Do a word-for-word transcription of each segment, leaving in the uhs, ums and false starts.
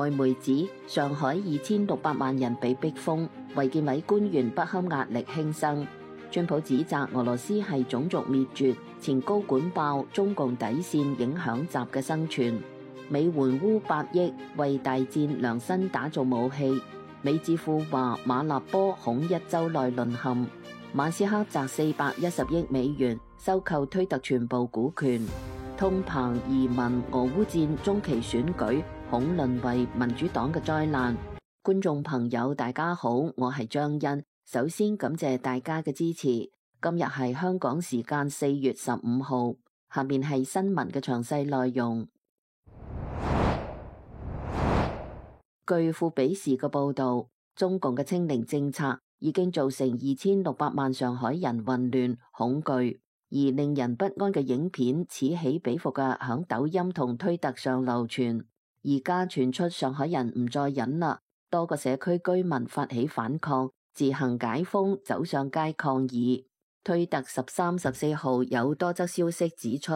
外媒指上海二千六百萬人被逼封，衛健委官員不堪壓力輕生。川普指責俄羅斯係種族滅絕，前高管爆中共底線影響習嘅生存。美援烏八億為大戰量身打造武器。美智庫話馬立波恐一周內淪陷。馬斯克砸四百一十億美元收購推特全部股權。通膨、移民、俄烏戰、中期選舉恐淪為民主黨嘅災難。觀眾朋友大家好，我係張欣。首先感謝大家嘅支持。今日係香港時間四月十五號，下面係新聞嘅詳細內容。據富比士嘅報道，中共嘅清零政策已經造成二千六百萬上海人混亂恐懼，而令人不安嘅影片此起彼伏嘅響抖音同推特上流傳。而家傳出上海人唔再忍啦，多個社區居民發起反抗，自行解封，走上街抗議。推特十三、十四號有多則消息指出，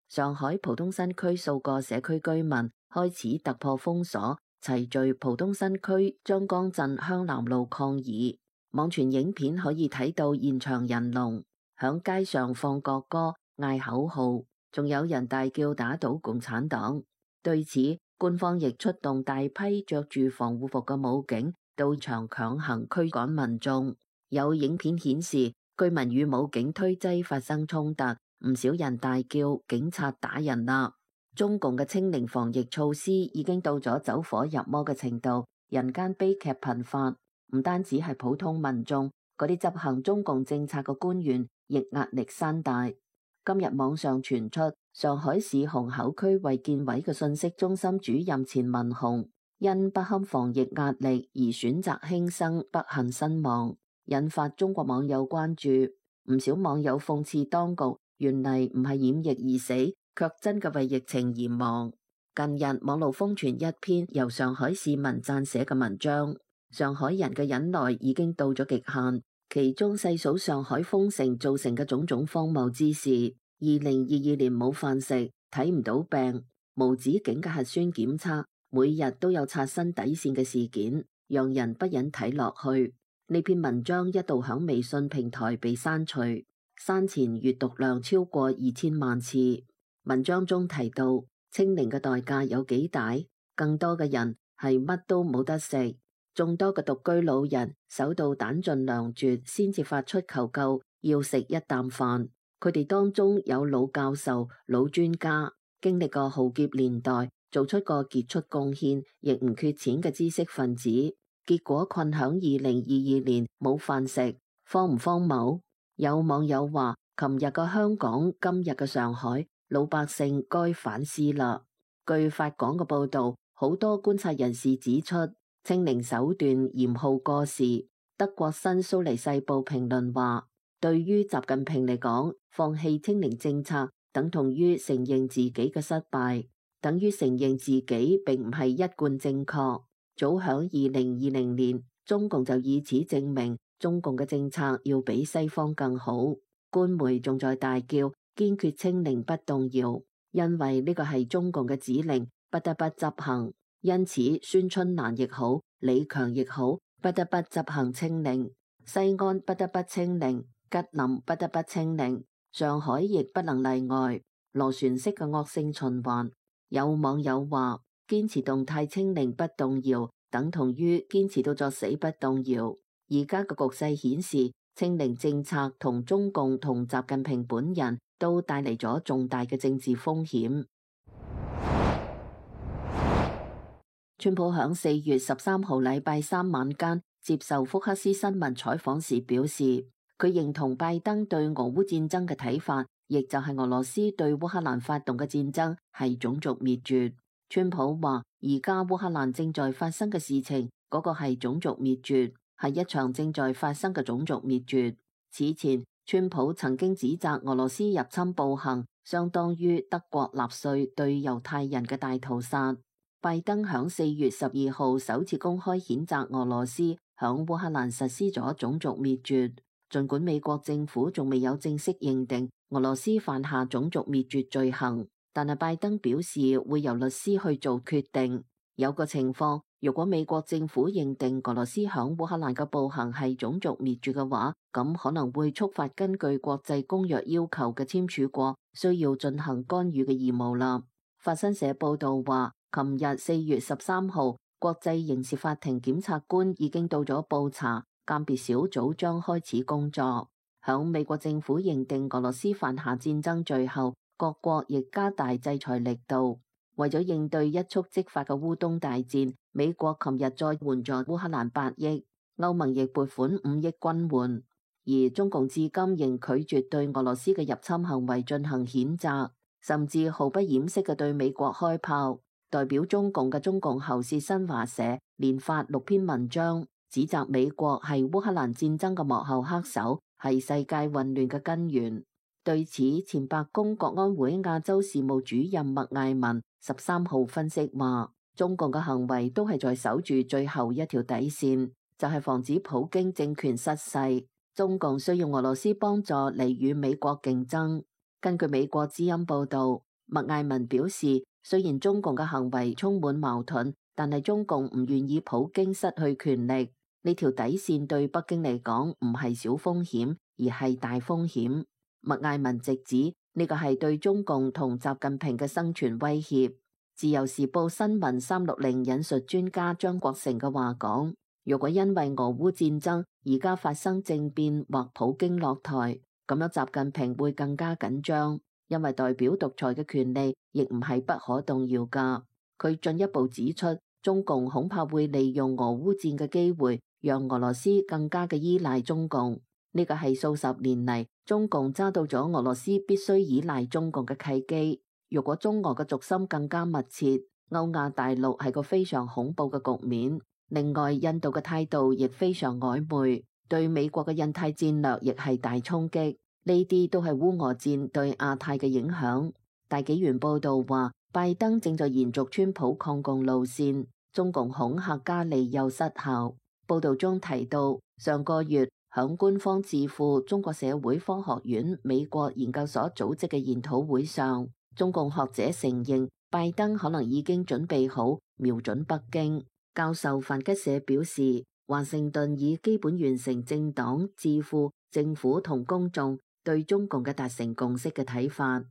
上海浦東新區數個社區居民開始突破封鎖，齊聚浦東新區張江鎮香南路抗議。網傳影片可以睇到現場人龍，響街上放國歌、嗌口號，仲有人大叫打倒共產黨。對此，官方亦出動大批着住防護服嘅武警到場強行驅趕民眾。有影片顯示，居民與武警推擠發生衝突，唔少人大叫警察打人啦。中共嘅清零防疫措施已經到咗走火入魔嘅程度，人間悲劇頻發。唔單止係普通民眾，嗰啲執行中共政策嘅官員亦壓力山大。今日網上傳出上海市虹口區衛健委嘅信息中心主任錢文雄因不堪防疫壓力而選擇輕生，不幸身亡，引發中國網友關注。唔少網友諷刺當局原嚟唔係染疫而死，卻真嘅為疫情而亡。近日網路瘋傳一篇由上海市民撰寫嘅文章，上海人嘅忍耐已經到咗極限，其中細數上海封城造成嘅種種荒謬之事。二零二二年冇飯食，睇唔到病，無止境嘅核酸檢測，每日都有刷新底線嘅事件，讓人不忍睇落去。呢篇文章一度響微信平台被刪除，刪前閱讀量超過二千萬次。文章中提到清零嘅代價有幾大，更多嘅人係乜都冇得食，眾多嘅獨居老人守到彈盡糧絕先至發出求救，要食一啖飯。佢哋當中有老教授、老專家，經歷過浩劫年代，做出過傑出貢獻，亦唔缺錢嘅知識分子，結果困響二零二二年冇飯食，荒唔荒謬？有網友話：琴日嘅香港，今日嘅上海，老百姓該反思啦。據法廣嘅報道，好多觀察人士指出，清零手段嚴酷過時。德國新蘇黎世報評論話：對於習近平嚟講，放棄清零政策等同於承認自己嘅失敗，等於承認自己並唔係一貫正確。早響二零二零年，中共就以此證明中共嘅政策要比西方更好。官媒仲在大叫堅決清零不動搖，因為呢個係中共嘅指令，不得不執行。因此，孫春蘭亦好，李強亦好，不得不執行清零。西安不得不清零，吉林不得不清零，上海亦不能例外，螺旋式嘅惡性循環。有網友話：堅持動態清零不動搖，等同於堅持到作死不動搖。而家嘅局勢顯示，清零政策同中共同習近平本人都帶嚟咗重大嘅政治風險。川普響四月十三號禮拜三晚間接受福克斯新聞採訪時表示，佢認同拜登對俄烏戰爭嘅睇法，亦就係俄羅斯對烏克蘭發動嘅戰爭係種族滅絕。川普話：而家烏克蘭正在發生嘅事情，嗰個係種族滅絕，係一場正在發生嘅種族滅絕。此前，川普曾經指責俄羅斯入侵暴行相當於德國納粹對猶太人嘅大屠殺。拜登響四月十二號首次公開譴責俄羅斯響烏克蘭實施咗種族滅絕，儘管美國政府仲未有正式認定俄羅斯犯下種族滅絕罪行，但係拜登表示會由律師去做決定。有個情況，如果美國政府認定俄羅斯響烏克蘭嘅暴行係種族滅絕嘅話，咁可能會觸發根據國際公約要求嘅簽署國需要進行干預嘅義務啦。法新社報道話，琴日四月十三號，國際刑事法庭檢察官已經到咗布查，鑑別小組將開始工作。響美國政府認定俄羅斯犯下戰爭罪後，各國亦加大制裁力度。為咗應對一觸即發嘅烏東大戰，美國琴日再援助烏克蘭八億，歐盟亦撥款五億軍援，而中共至今仍拒絕對俄羅斯嘅入侵行為進行譴責，甚至毫不掩飾嘅對美國開炮。代表中共嘅中共喉舌新華社連發六篇文章，指責美國係烏克蘭戰爭嘅幕後黑手，係世界混亂嘅根源。對此，前白宮國安會亞洲事務主任麥艾文十三號分析話，中共嘅行為都係在守住最後一條底線，就係防止普京政權失勢。中共需要俄羅斯幫助嚟與美國競爭。根據美國之音報道，麥艾文表示，雖然中共嘅行為充滿矛盾，但係中共唔願意普京失去權力。呢條底線對北京嚟講唔係小風險，而係大風險。麥艾文直指呢個係對中共同習近平嘅生存威脅。自由時報新聞三六零引述專家張國成嘅話講，如果因為俄烏戰爭而家發生政變或普京落台，咁樣習近平會更加緊張，因為代表獨裁嘅權利亦唔係不可動搖噶。佢進一步指出，中共恐怕會利用俄烏戰嘅機會，讓俄羅斯更加嘅依賴中共。呢個係數十年嚟中共揸到咗俄羅斯必須依賴中共嘅契機。如果中俄嘅軸心更加密切，歐亞大陸係個非常恐怖嘅局面。另外，印度嘅態度亦非常曖昧，對美國嘅印太戰略亦係大衝擊。呢啲都係烏俄戰對亞太嘅影響。大紀元報道話，拜登正在延續川普抗共路線，中共恐嚇加利又失效。報道中提到，上個月響官方智庫中國社會科學院美國研究所組織嘅研討會上，中共學者承認拜登可能已經準備好瞄準北京。教授范吉社表示，華盛頓已基本完成政黨、智庫、政府同公眾對中共嘅達成共識嘅睇法。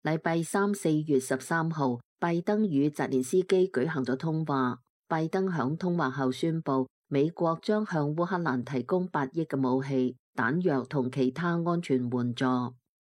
禮拜三四月十三號，拜登與澤連斯基舉行咗通話。拜登響通話後宣布，美國將向烏克蘭提供八億嘅武器、彈藥同其他安全援助。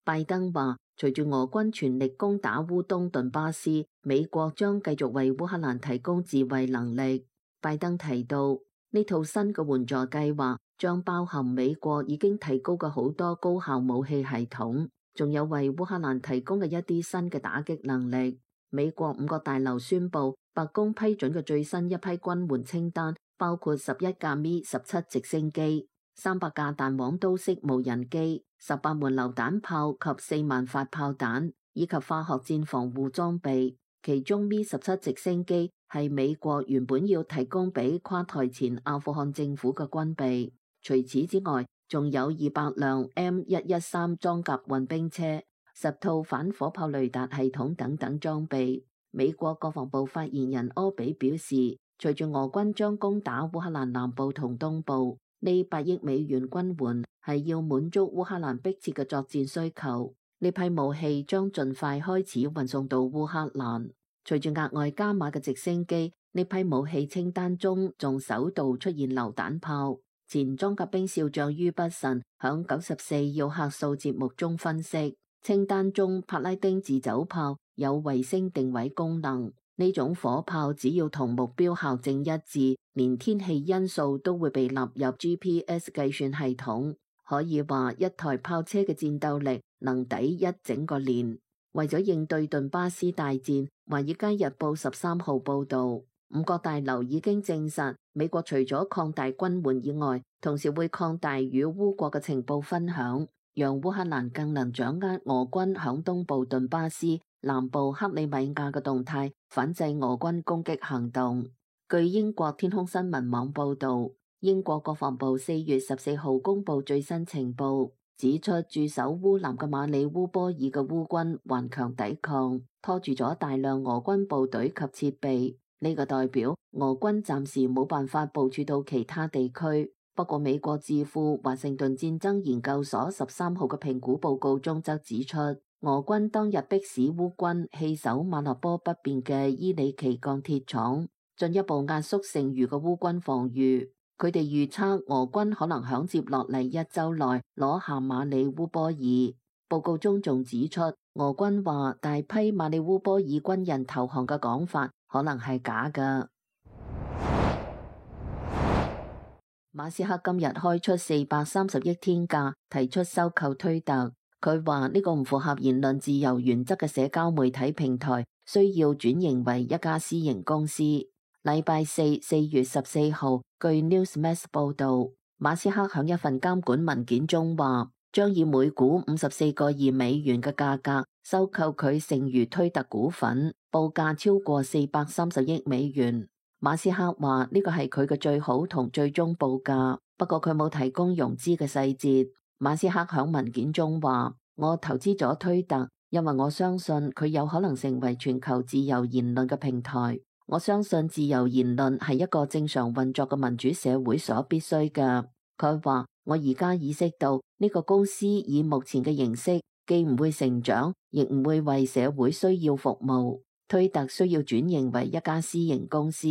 拜登話，隨住俄軍全力攻打烏東頓巴斯，美國將繼續為烏克蘭提供自衛能力。拜登提到，呢套新嘅援助計劃將包含美國已經提高嘅好多高效武器系統，仲有為烏克蘭提供嘅一啲新嘅打擊能力。美國五角大樓宣布，白宮批准嘅最新一批軍援清單包括十一架咪十七直升機、三百架彈簧刀式無人機、十八門榴彈炮及四萬發炮彈，以及化學戰防護裝備。其中咪十七直升機係美國原本要提供俾垮台前阿富汗政府嘅軍備。除此之外，仲有二百輛 M 一一三裝甲運兵車、十套反火炮雷達系統等等裝備。美國國防部發言人柯比表示，隨住俄軍將攻打烏克蘭南部同東部，呢八億美元軍援係要滿足烏克蘭迫切嘅作戰需求。呢批武器將盡快開始運送到烏克蘭。隨住額外加碼嘅直升機，呢批武器清單中仲首度出現榴彈炮。前裝甲兵少將于北辰響九十四要客數節目中分析，清單中帕拉丁自走炮有衛星定位功能，呢種火炮只要同目標校正一致，連天氣因素都會被納入 G P S 計算系統。可以話一台炮車嘅戰鬥力能抵一整個連。為咗應對頓巴斯大戰，華爾街日報十三號報道，五角大樓已經證實，美國除咗擴大軍援以外，同時會擴大與烏國嘅情報分享，讓烏克蘭更能掌握俄軍響東部頓巴斯、南部克里米亞嘅動態，反制俄軍攻擊行動。據英國天空新聞網報道，英國國防部四月十四號公布最新情報，指出駐守烏南嘅馬里烏波爾嘅烏軍頑強抵抗，拖住咗大量俄軍部隊及設備。呢、這個代表俄軍暫時冇辦法部署到其他地區。不過美國智庫華盛頓戰爭研究所十三號嘅評估報告中則指出，俄軍當日迫使烏軍棄守馬立波北邊嘅伊里奇鋼鐵廠，進一步壓縮剩餘嘅烏軍防禦。佢哋預測俄軍可能響接落嚟一周內攞下馬里烏波爾。報告中仲指出，俄軍話大批馬里烏波爾軍人投降嘅講法可能係假㗎。馬斯克今日開出四百三十億天價，提出收購推特。佢話呢個唔符合言論自由原則嘅社交媒體平台需要轉型為一家私營公司。禮拜四四月十四號，據 Newsmax 報道，馬斯克響一份監管文件中話，將以每股五十四個二美元嘅價格收購佢剩餘推特股份，報價超過四百三十億美元。馬斯克話呢個係佢嘅最好同最終報價，不過佢冇提供融資嘅細節。馬斯克響文件中話，我投資咗推特，因為我相信佢有可能成為全球自由言論嘅平台。我相信自由言論係一個正常運作嘅民主社會所必須嘅。佢話，我而家意識到呢個公司以目前嘅形式，既唔會成長，亦唔會為社會需要服務。推特需要轉型為一家私營公司。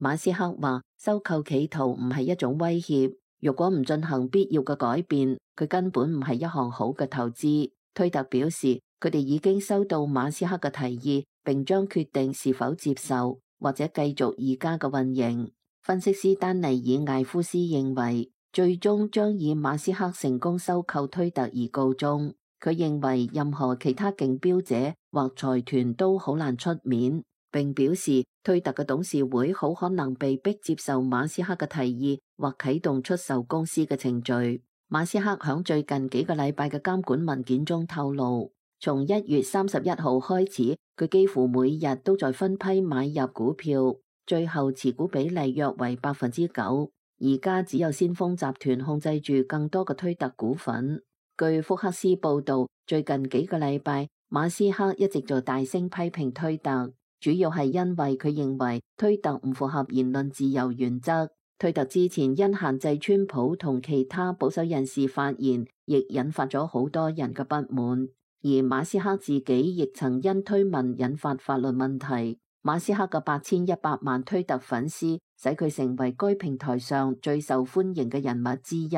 馬斯克話，收購企圖唔係一種威脅，如果唔進行必要嘅改變，佢根本唔係一項好嘅投資。推特表示，佢哋已經收到馬斯克嘅提議，並將決定是否接受或者繼續而家嘅運營。分析師丹尼爾艾夫斯認為，最終將以馬斯克成功收購推特而告終。佢認為任何其他競標者或財團都好難出面，並表示推特嘅董事會好可能被迫接受馬斯克嘅提議或啟動出售公司嘅程序。馬斯克響最近幾個禮拜嘅監管文件中透露，從一月三十一號開始，佢幾乎每日都在分批買入股票，最後持股比例約為百分之九。而家只有先鋒集團控制住更多嘅推特股份。據福克斯報道，最近幾個禮拜，馬斯克一直在大聲批評推特，主要係因為佢認為推特唔符合言論自由原則。推特之前因限制川普同其他保守人士發言，亦引發咗好多人嘅不滿。而馬斯克自己亦曾因推文引發法律問題。馬斯克嘅八千一百萬推特粉絲，使佢成為該平台上最受歡迎嘅人物之一。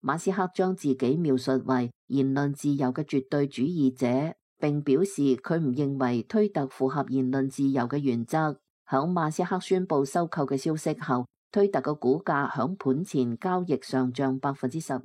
馬斯克將自己描述為言論自由嘅絕對主義者，並表示佢唔認為推特符合言論自由嘅原則。響馬斯克宣布收購嘅消息後，推特嘅股價響盤前交易上漲百分之十二。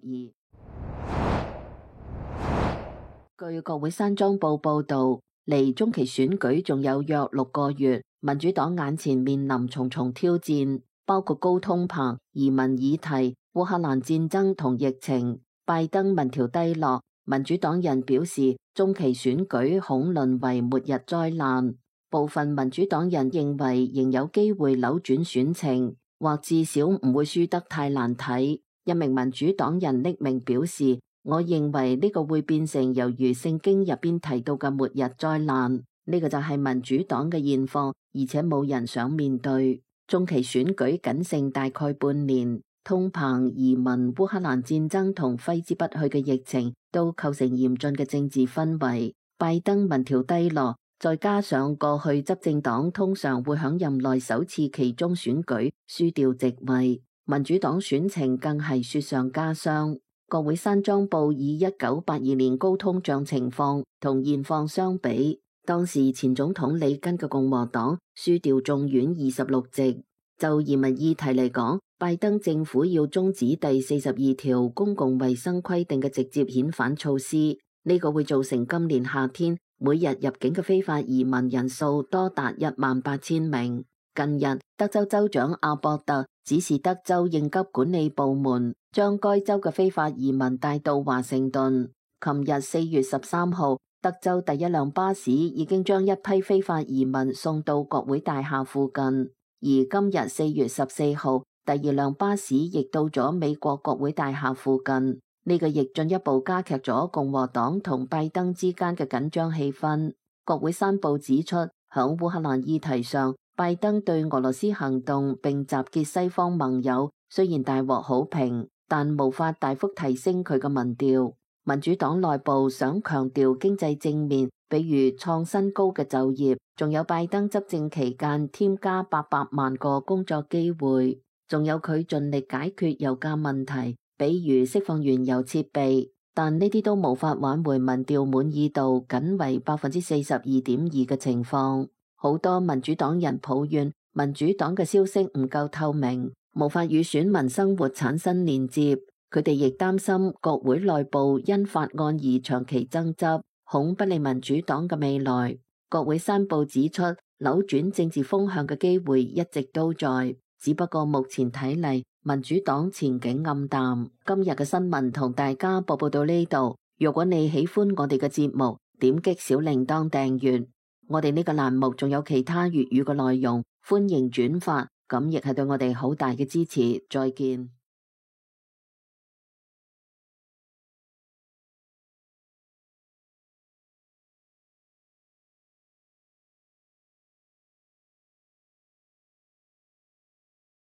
據國會山莊報報道，離中期選舉仲有約六個月，民主黨眼前面臨重重挑戰，包括高通膨、移民議題、烏克蘭戰爭同疫情。拜登民調低落，民主黨人表示中期選舉恐淪為末日災難。部分民主黨人認為仍有機會扭轉選情，或至少唔會輸得太難睇。一名民主黨人匿名表示，我認為呢個會變成猶如聖經入邊提到嘅末日災難。呢個就係民主黨嘅現況，而且冇人想面對。中期選舉僅剩大概半年，通膨、移民、烏克蘭戰爭同揮之不去嘅疫情都構成嚴峻嘅政治氛圍。拜登民調低落，再加上過去執政黨通常會響任內首次期中選舉輸掉席位，民主黨選情更係雪上加霜。國會山莊報以一九八二年高通脹情況同現況相比，當時前總統里根嘅共和黨輸掉眾院二十六席。就移民議題嚟講，拜登政府要終止第四十二條公共衛生規定嘅直接遣返措施，呢個會造成今年夏天每日入境嘅非法移民人數多達一萬八千名。近日，德州州長阿博特指示德州應急管理部門將該州嘅非法移民帶到華盛頓。琴日四月十三號，德州第一輛巴士已經將一批非法移民送到國會大廈附近，而今日四月十四號，第二輛巴士亦到咗美國國會大廈附近。呢個亦進一步加劇咗共和黨同拜登之間嘅緊張氣氛。國會山報指出，響烏克蘭議題上，拜登對俄羅斯行動並集結西方盟友，雖然大獲好評，但無法大幅提升佢嘅民調。民主黨內部想強調經濟正面，比如創新高嘅就業，仲有拜登執政期間添加八百萬個工作機會，仲有佢盡力解決油價問題，比如釋放原油設備，但呢啲都無法挽回民調滿意度僅為百分之四十二點二嘅情況。好多民主黨人抱怨民主黨嘅消息唔夠透明，無法與選民生活產生連接。佢哋亦擔心國會內部因法案而長期爭執，恐不利民主黨嘅未來。國會山報指出，扭轉政治風向嘅機會一直都在，只不過目前睇嚟，民主黨前景暗淡。今日嘅新聞同大家播報到呢度。如果你喜歡我哋嘅節目，點擊小鈴鐺訂閱。我哋呢個欄目仲有其他粵語嘅內容，歡迎轉發，咁亦係對我哋好大嘅支持。再見。